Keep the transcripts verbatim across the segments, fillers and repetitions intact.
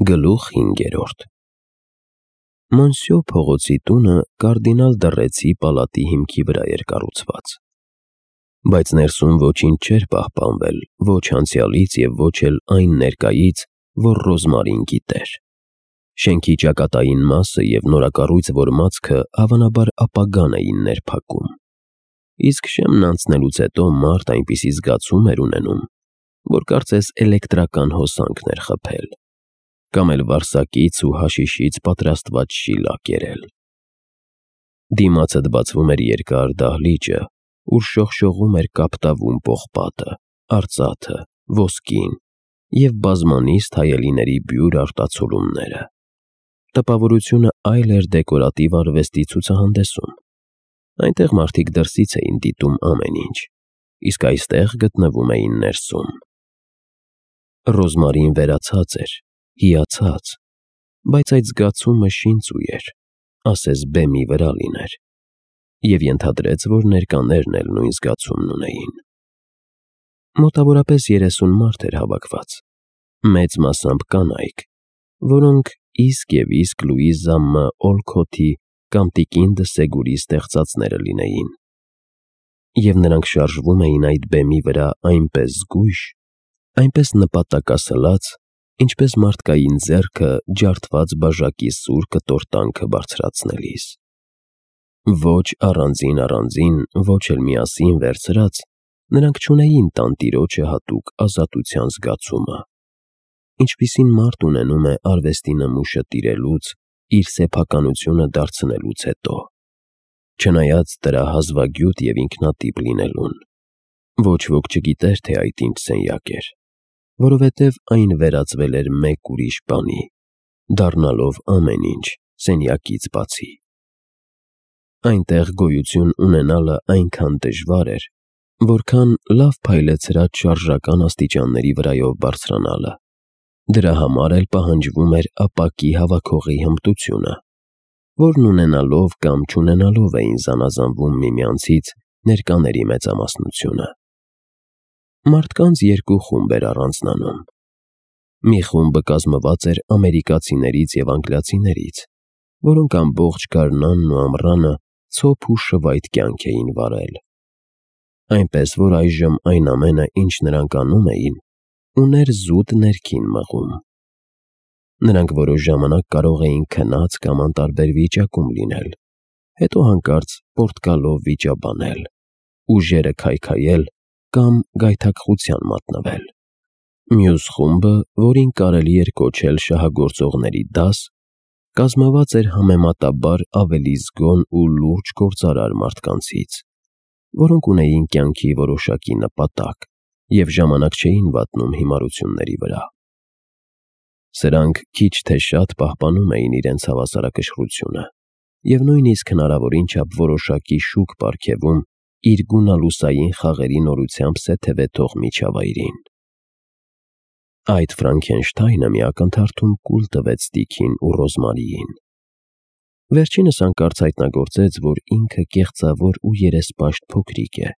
Գլուխ հինգերորդ Մոնսյո փողոցի տունը կարդինալ Դռեցի պալատի հիմքի վրա էր կառուցված, բայց ներսում ոչինչ չէր պահպանվել ոչ անցյալից և ոչ էլ այն ներկայից, որ Ռոզմարին գիտեր։ Շենքի ճակատային մասը և նորակառույց որմացքը հավանաբար ապագան էին ներփակում, իսկ շեմն անցնելուց հետո մարդ այնպիսի զգացում էր ունենում, որ կարծես էլեկտրական հոսանքն էր խփել, կամ էլ վարսակից ու հաշիշից պատրաստված շիլակ եղել։ Դիմացդ բացվում էր երկար դահլիճը, ուր շողշողում էր կապտավուն պողպատը, արծաթը, ոսկին և բազմանիստ հայելիների բյուր արտացոլումները։ Տպավորությունը այլ էր դեկորատիվ արվեստի ցուցահանդեսում։ Այնտեղ մարդիկ դրսից էին դիտում ամեն ինչ, իսկ այստեղ գտնվում էին ներսում։ Ռոզմարին վերացած էր, հիացած, բայց այդ զգացումը շինծու էր, ասես բեմի վրա լիներ, և ենթադրեց, որ ներկաներն էլ նույն զգացումն ունեին։ Մոտավորապես երեսուն մարդ էր հավաքված, մեծ մասամբ կանայք, որոնք իսկ և իսկ Լուիզա Մ. Օլքոթի կամ տիկին Դսեգուրի ստեղծածները լինեին, և նրանք շարժվում էին այդ բեմի վրա այնպես զգույշ, այնպես նպատակասլաց, ինչպես մարդկային ձեռքը ջարդված բաժակի սուր կտորտանքը բարձրացնելիս։ Ոչ առանձին-առանձին, ոչ էլ միասին վերցրած, նրանք չունեին տանտիրոջը հատուկ ազատության զգացումը, ինչպիսին մարդ ունենում է արվեստի նմուշը տիրելուց, իր սեփականությունը դարձնելուց հետո, չնայած դրա հազվագյուտ և ինքնատիպ լինելուն։ Ոչ ոք չգիտեր, թե այդ ինչ սենյակ էր, որովհետև այն վերածվել էր մեկ ուրիշ բանի, դառնալով ամեն ինչ սենյակից բացի։ Այնտեղ գոյություն ունենալը այնքան դժվար էր, որքան լավ փայլեցրած շարժական աստիճանների վրայով բարձրանալը։ Դրա համար էլ պահանջվում էր ապակի հավաքողի հմտությունը, որն ունենալով կամ չունենալով էին զանազանվում միմյանցից ներկաների մեծամասնությունը։ Մարդկանց երկու խումբ էր առանձնանում։ Մի խումբը կազմված էր ամերիկացիներից և անգլիացիներից, որոնք ամբողջ գարնանն ու ամռանը ցոփ ու շվայտ կյանք էին վարել, այնպես որ այժմ այն ամենը, ինչ նրանք անում էին, ուներ զուտ ներքին մղում։ Նրանք որոշ ժամանակ կարող էին քնած կամ անտարբեր վիճակում լինել, հետո հանկարծ պորտկալով վիճաբանել, ուժերը քայքայել կամ գայթակղության մատնվել։ Մյուս խումբը, որին կարելի էր կոչել շահագործողների դաս, կազմված էր համեմատաբար ավելի զգոն ու լուրջ գործարար մարդկանցից, որոնք ունեին կյանքի որոշակի նպատակ և ժամանակ չէին վատնում հիմարությունների վրա։ Սրանք քիչ թե շատ պահպանում էին իրենց հավասարակշռությունը և նույնիսկ հնարավորին չափ որոշակի շուք պարգևում իր գունալուսային խաղերի նորությամբ սեթևեթող միջավայրին։ Այդ Ֆրանկենշտայնը մի ակնթարթում կուլ տվեց Տիկին ու Ռոզմարիին։ Վերջինս հանկարծ հայտնագործեց, որ ինքը կեղծավոր ու երեսպաշտ փոքրիկ է,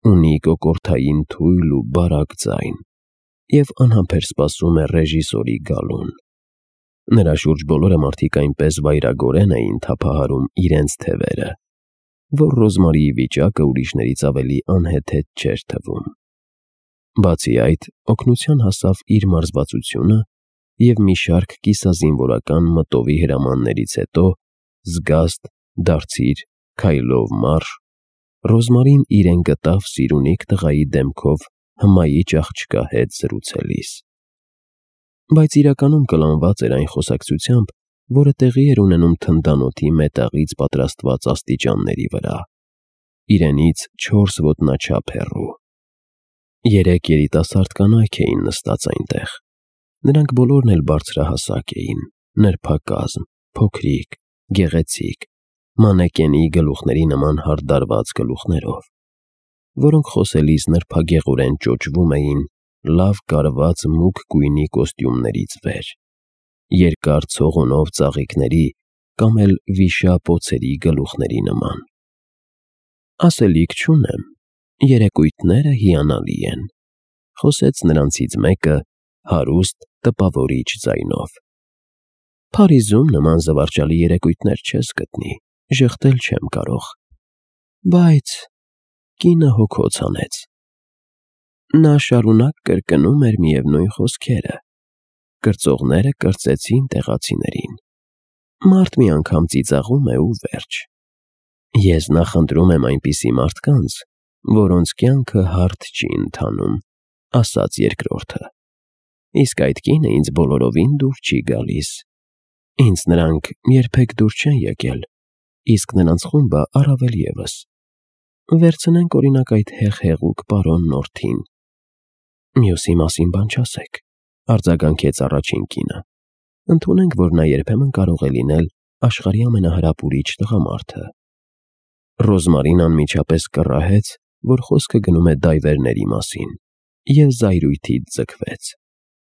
ունի կոկորդային թույլ ու բարակ ձայն և անհամբեր սպասում է ռեժիսորի գալուն։ Նրա շուրջ բոլորը մարդիկ այնպես վայրագորեն էին թափահարում իրենց թևերը, որ Ռոզմարիի վիճակը ուրիշներից ավելի անհեթեթ չէր թվում։ Բացի այդ, օգնության հասավ իր մարզվածությունը և մի շարք կիսազինվորական մտովի հրամաններից հետո, զգաստ, դարձիր, քայլով մարշ, Ռոզմարին իրեն գտավ սիրունիկ տղայի դեմքով հմայիչ աղջկա հետ զրուցելիս։ Բայց իրականում կլանված էր այն խոսակցությամբ, որը տեղի էր ունենում թնդանոթի մետաղից պատրաստված աստիճանների վրա, իրենից չորս ոտնաչափ հեռու։ Երեք երիտասարդ կանայք էին նստած այնտեղ։ Նրանք բոլորն էլ բարձրահասակ էին, նրբակազմ, փոքրիկ, գեղեցիկ, մանեկենի գլուխների նման հարդարված գլուխներով, որոնք խոսելիս նրբագեղորեն ճոճվում էին լավ կարված մուգ գույնի կոստյումներից վեր, երկար ցողունով ծաղիկների կամ էլ վիշապ օձերի գլուխների նման։ Ասելիք չունեմ, երեկույթները հիանալի են, խոսեց նրանցից մեկը, հարուստ տպավորիչ ձայնով։ Փարիզում նման զվարճալի երեկույթներ չես գտնի, ժխտել չեմ կարող։ Բայց կինը հոգոց հանեց։ Նա շարունակ կրկնում էր միևնույն խոսքերը։ Կրծողները կրծեցին տեղացիներին։ Մարդ մի անգամ ծիծաղում է ու վերջ։ Ես նախընտրում եմ այնպիսի մարդկանց, որոնց կյանքը հարթ չի ընթանում, ասաց երկրորդը։ Իսկ այդ կինը ինձ բոլորովին դուր չի գալիս։ Ինձ նրանք երբեք դուր չեն եկել, իսկ նրանց խումբը առավել ևս։ Վերցնենք օրինակ այդ հեղ-հեղուկ պարոն Նորթին։ Մյուսի մասին բան չասեք, արձագանքեց առաջին կինը։ Ընդունենք, որ նա երբեմն կարող է լինել աշխարհի ամենահրապուրիչ տղամարդը։ Ռոզմարին անմիջապես կռահեց, որ խոսքը գնում է դայվերների մասին, և զայրույթից ձգվեց։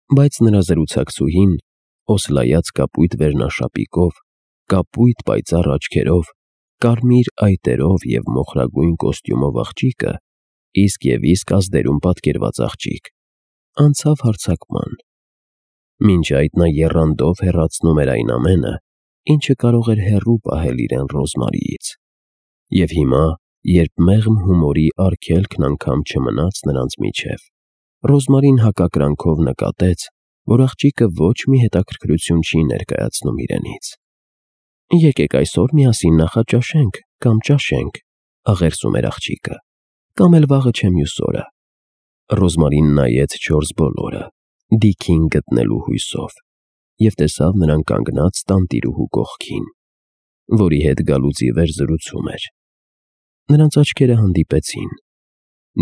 Բայց նրա զրուցակցուհին, օսլայած կապույտ վերնաշապիկով, կապույտ պայծառ աչքերով, կարմիր այտերով և մոխրագույն կոստյումով աղջիկը, իսկ և իսկ ազդերում պատկերված աղջիկ, անցավ հարձակման։ Մինչ այդ նա եռանդով հեռացնում էր այն ամենը, ինչը կարող էր հեռու պահել իրեն Ռոզմարիից։ Եվ հիմա, երբ մեղմ հումորի արգելքն անգամ չմնաց նրանց միջև, Ռոզմարին հակակրանքով նկատեց, որ աղջիկը ոչ մի հետաքրքրություն չի ներկայացնում իրենից։ Եկեք այսօր միասին նախաճաշենք կամ ճաշենք, աղերսում էր աղջիկը, կամ էլ վաղը չէ մյուս օրը։ Ռոզմարին նայեց չորս բոլորը, Դիքին գտնելու հույսով, և տեսավ նրան կանգնած տանտիրուհու կողքին, որի հետ գալուց ի վեր զրուցում էր։ Նրանց աչքերը հանդիպեցին։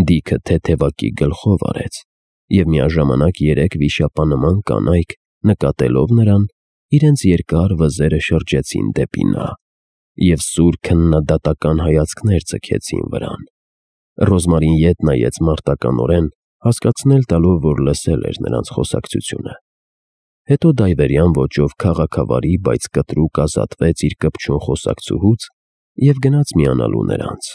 Դիքը թեթևակի գլխով արեց, և միաժամանակ երեք վիշապանման կանայք, նկատելով նրան, իրենց երկար վզերը շրջեցին դեպի նա, և սուր քննադատական հայացքներ ձգեցին վրան։ Ռոզմարին ետ նայեց մարտականորեն, հասկացնել տալով, որ լսել էր նրանց խոսակցությունը։ Հետո դայվերյան ոճով քաղաքավարի, բայց կտրուկ ազատվեց իր կպչուն խոսակցուհուց և գնաց միանալու նրանց։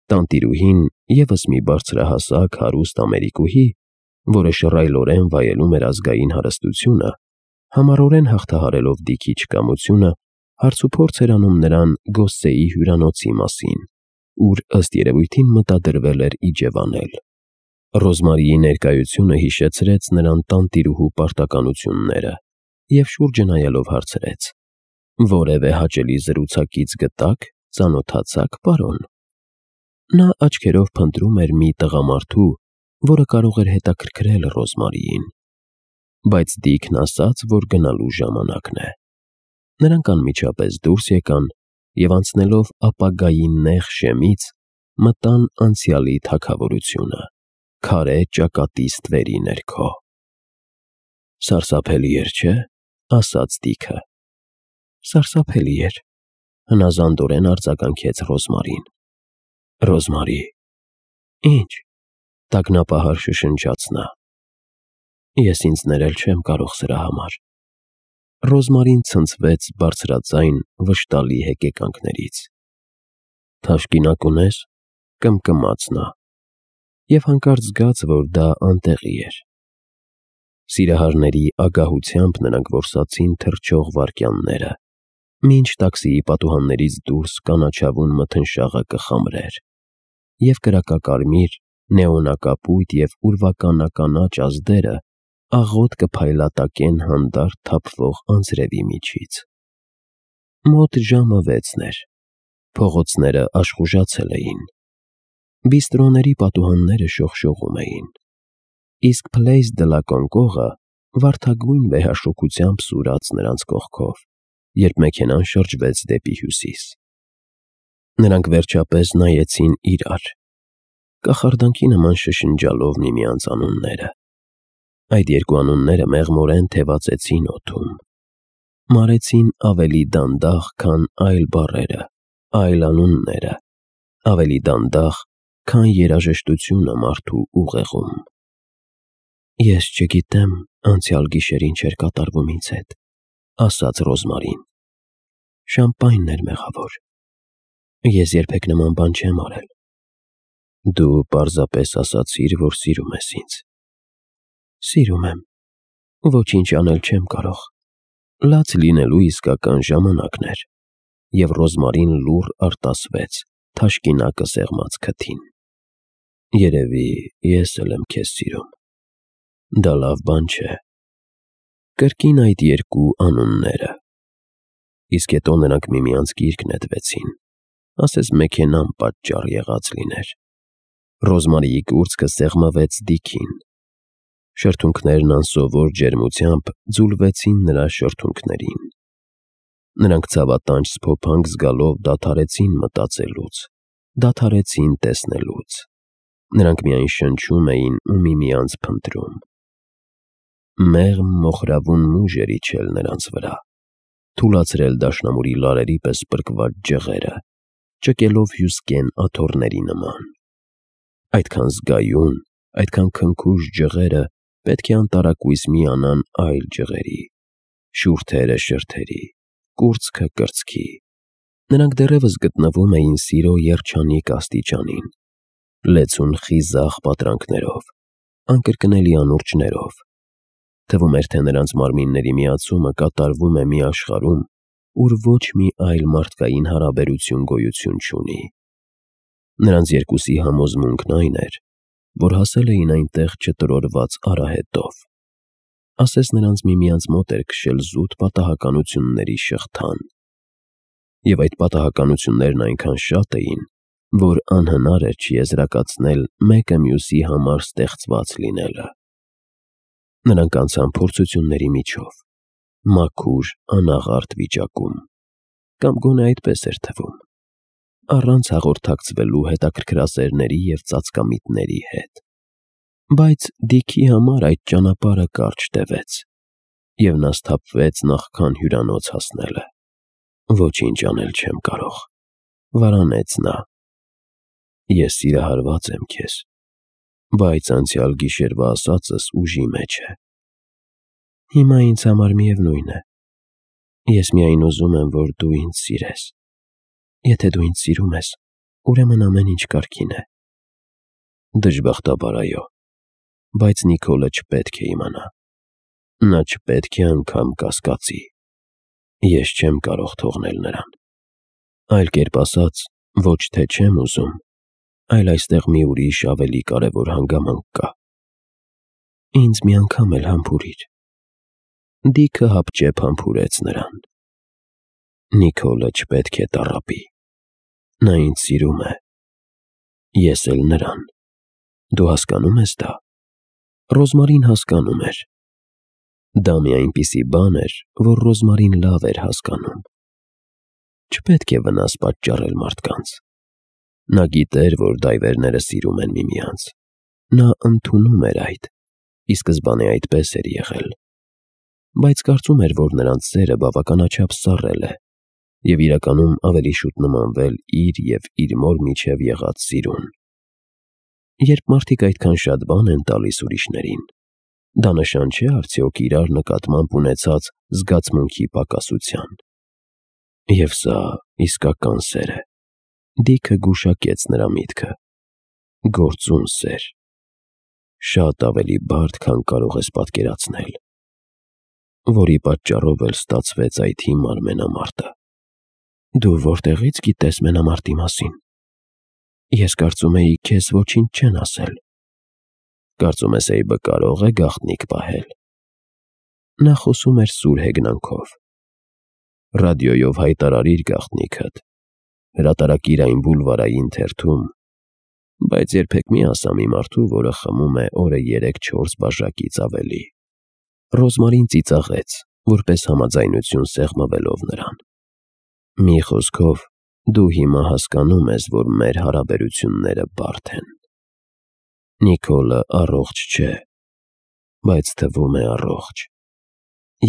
Տանտիրուհին, ևս մի բարձրահասակ, հարուստ ամերիկուհի, որը շռայլորեն վայելում էր ազգային հարստությունը, համառորեն հաղթահարելով Դիքի չկամությունը, հարցուփորձ էր անում նրան Գոսսեի հյուրանոցի մասին, ուր ըստ երևույթին մտադրվել էր իջևանել։ Ռոզմարիի ներկայությունը հիշեցրեց նրան տանտիրուհու պարտականությունները և շուրջը նայելով հարցրեց. «Որևէ հաճելի զրուցակից գտա՞ք, ծանոթացա՞ք, պարոն»։ Նա աչքերով փնտրում էր մի տղամարդու, որը կարող էր հետաքրքրել Ռոզմարիին։ Բայց Դիքն ասաց, որ գնալու ժամանակն է։ Նրանք անմիջապես դուրս եկան և անցնելով ապագայի նեղ շեմից, մտան անցյալի թագավորությունը, քարե ճակատի ստվերի ներքո։ «Սարսափելի էր, չէ՞, ասաց Դիքը։ Սարսափելի էր, հնազանդորեն արձագանքեց Ռոզմարին։ Ռոզմարի։ Ինչ, տագնապահար շշնջաց նա։ Ես ինձ ներել չեմ կարող սրա համար։ Ռոզմարին ցնցվեց բարձրաձայն վշտալի հեկեկանքներից։ Թաշկինակ ունես, կմկմաց նա, և հանկարծ զգաց, որ դա անտեղի էր։ Սիրահարների ագահությամբ նրանք որսացին թռչող վայրկյանները, մինչ տաքսիի պատուհաններից դուրս կանաչավուն մթնշաղը կխամրեր, և կրակակարմիր, նեոնակապույտ և ուրվականականաչ ազդերը աղոտ կփայլատակեն հանդարտ թափվող անձրևի միջից։ Մոտ ժամը վեցն էր։ Փողոցները աշխուժացել էին։ Բիստրոների պատուհանները շողշողում էին, իսկ Place de la Concorde-ը վարդագույն վեհաշոգությամբ սուրաց նրանց կողքով, երբ մեքենան շրջվեց դեպի հյուսիս։ Նրանք վերջապես նայեցին իրար, կախարդանքի նման շշնջալով միմյանց անունները։ Այդ երկու անունները մեղմորեն թևածեցին օդում, մարեցին ավելի դանդաղ, քան այլ բառերը, այլ անունները, ավելի դանդաղ, քան երաժշտությունը մարդու ուղեղում։ Ես չգիտեմ անցյալ գիշեր ինչ էր կատարվում ինձ հետ, ասաց Ռոզմարին։ Շամպայնն էր մեղավոր։ Ես երբեք նման բան չեմ արել։ Դու պարզապես ասացիր, որ սիրում ես ինձ։ Սիրում եմ, Ոչինչ անել չեմ կարող։ Լաց լինելու իսկական ժամանակն էր, և Ռոզմարին լուռ արտասվեց թաշկինակը սեղմած քթին։ Երևի ես էլ եմ քեզ սիրում։ Դա լավ բան չէ։ Կրկին այդ երկու անունները։ Իսկ հետո նրանք միմյանց գիրկ նետվեցին, ասես մեքենան պատճառ եղած լիներ։ Ռոզմարիի կուրծքը սեղմվեց Դիքին։ Շրթունքներն անսովոր ջերմությամբ ձուլվեցին նրա շրթունքներին։ Նրանք ցավատանջ սփոփանք զգալով դադարեցին մտածելուց, դադարեցին տեսնելուց։ Նրանք միայն շնչում էին ու միմյանց փնտրում։ Մեղմ մոխրավուն մուժ էր իջել նրանց վրա, թուլացրել դաշնամուրի լարերի պես պրկված ջղերը, ճկելով հյուսկեն աթոռների նման։ Այդքան զգայուն, այդքան քնքուշ ջղերը պետք է անտարակույս միանան այլ ջղերի, շուրթերը շրթերի, կուրծքը կրծքի։ Նրանք դեռևս գտնվում էին սիրո երջանիկ աստիճանին, լեցուն խիզախ պատրանքներով, անկրկնելի անուրջներով։ Թվում էր, թե նրանց մարմինների միացումը կատարվում է մի աշխարհում, ուր ոչ մի այլ մարդկային հարաբերություն գոյություն չունի։ Նրանց երկուսի համոզմունքն այն էր, որ հասել էին այնտեղ չտրորված արահետով, ասես նրանց միմյանց մոտ էր քշել զուտ պատահականությունների շղթան։ Եվ այդ պատահականություններն այնքան շատ էին, որ անհնար էր չեզրակացնել մեկը մյուսի համար ստեղծված լինելը։ Նրանք անցան փորձությունների միջով, մաքուր, անաղարտ վիճակում, կամ գոնե այդպես էր թվում, առանց հաղորդակցվելու հետաքրքրասերների և ծածկամիտների հետ։ Բայց Դիքի համար այդ ճանապարհը կարճ տևեց, և նա սթափվեց նախքան հյուրանոց հասնելը։ Ոչինչ անել չեմ կարող, վարանեց նա։ Ես սիրահարված եմ քեզ, բայց անցյալ գիշերվա ասածս ուժի մեջ է։ Հիմա ինձ համար միևնույն է։ Ես միայն ուզում եմ, որ դու ինձ սիրես։ Եթե դու ինձ սիրում ես, ուրեմն ամեն ինչ կարգին է։ Դժբախտաբար այո, բայց Նիկոլը չպետք է իմանա։ Նա չպետք է անգամ կասկածի։ Ես չեմ կարող թողնել նրան։ Այլ կերպ ասած, ոչ թե չեմ ուզում, այլ այստեղ մի ուրիշ ավելի կարևոր հանգամանք կա։ Ինձ մի անգամ էլ համբուրիր։ Դիքը հապճեպ համբուրեց նրան։ Նիկոլը չպետք է տառապի։ Նա ինձ սիրում է։ Ես էլ նրան։ Դու հասկանում ես դա։ Ռոզմարին հասկանում էր։ Դա մի այնպիսի բան էր, որ Ռոզմարին լավ էր հասկանում։ Չպետք է վնաս պատճառել մարդկանց։ Նա գիտեր, որ դայվերները սիրում են միմյանց։ Նա ընդունում էր այդ, ի սկզբանե այդպես էր եղել։ Բայց կարծում էր, որ նրանց սերը բավականաչափ սառել է, և իրականում ավելի շուտ նմանվել իր և իր մոր միջև եղած սիրուն։ Երբ մարդիկ այդքան շատ բան են տալիս ուրիշներին, դա նշան չէ արդյոք իրար նկատմամբ ունեցած զգացմունքի պակասության։ Եվ սա իսկական սեր է։ Դիքը գուշակեց նրա միտքը։ Գործուն սեր։ Շատ ավելի բարդ, քան կարող ես պատկերացնել, որի պատճառով էլ ստացվեց այդ հիմար մենամարտը։ Դու որտեղի՞ց գիտես մենամարտի մասին։ Ես կարծում էի, քեզ ոչինչ չեն ասել։ Կարծում ես Էյբը կարող է գաղտնիք պահել։ Նա խոսում էր սուր հեգնանքով։ Ռադիոյով հայտարարիր գաղտնիքդ, հրատարակիր այն բուլվարային թերթում, բայց երբեք մի ասա մի մարդու, որը խմում է օրը երեք-չորս բաժակից ավելի։ Ռոզմարին ծիծաղեց, որպես համաձայնություն սեղմվելով նրան։ Մի խոսքով, դու հիմա հասկանում ես, որ մեր հարաբերությունները բարդ են։ Նիկոլը առողջ չէ, բայց թվում է առողջ,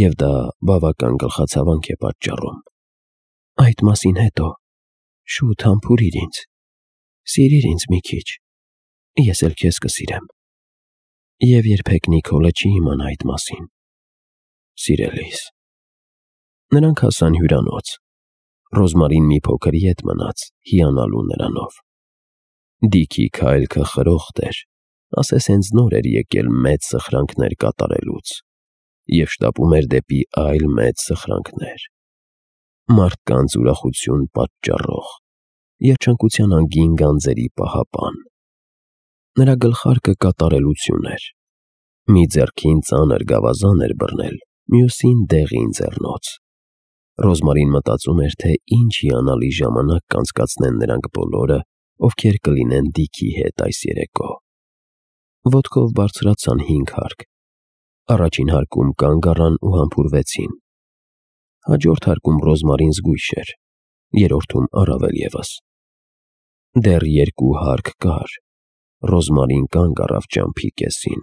և դա բավական գլխացավանք է պատճառում։ Այդ մասին հետո, շուտ համբուրիր ինձ, սիրիր ինձ մի քիչ, ես էլ քեզ կսիրեմ։ Եվ երբեք Նիկոլը չի իմանա այդ մասին։ Սիրելիս։ Նրանք հասան հյուրանոց։ Ռոզմարին մի փոքր ետ մնաց, հիանալու նրանով։ Դիքի քայլքը խրոխտ էր, ասես հենց նոր էր եկել մեծ սխրանքներ կատարելուց, և շտապում էր դեպի այլ մեծ սխրանքներ։ Մարդկանց ուրախություն պատճառող, երջանկության անգին գանձերի պահապան։ Նրա գլխարկը կատարելություն էր։ Մի ձեռքին ծանր գավազան էր բռնել, մյուսին դեղին ձեռնոց։ Ռոզմարին մտածում էր, թե ինչ հիանալի ժամանակ կանցկացնեն նրանք բոլորը, ովքեր կլինեն Դիքի հետ այս երեկո։ Ոտքով բարձրացան հինգ հարկ։ Առաջին հարկում կանգ առան ու համբուրվեցին։ Հաջորդ հարկում Ռոզմարին զգույշ էր, երրորդում առավել ևս։ Դեռ երկու հարկ կար։ Ռոզմարին կանգ առավ ճամփի կեսին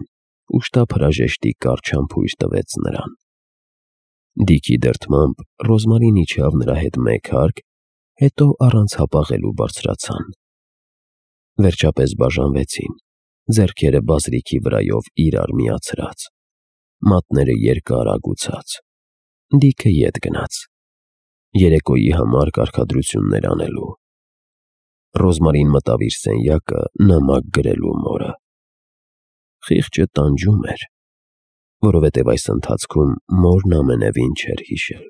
ու շտապ հրաժեշտի կարճ համբույր տվեց նրան։ Դիքի դրդմամբ Ռոզմարին իջավ նրա հետ մեկ հարկ, հետո առանց հապաղելու բարձրացան։ Վերջապես բաժանվեցին, ձեռքերը բազրիքի վրայով իրար միացրած, մատները երկար ագուցած։ Դիքը ետ գնաց, երեկոյի համար կարգադրություններ անելու։ Ռոզմարին մտավ իր սենյակը նամակ գրելու մորը։ Խիղճը տանջում էր, որովհետև այս ընթացքում մորն ամենևին չէր հիշել։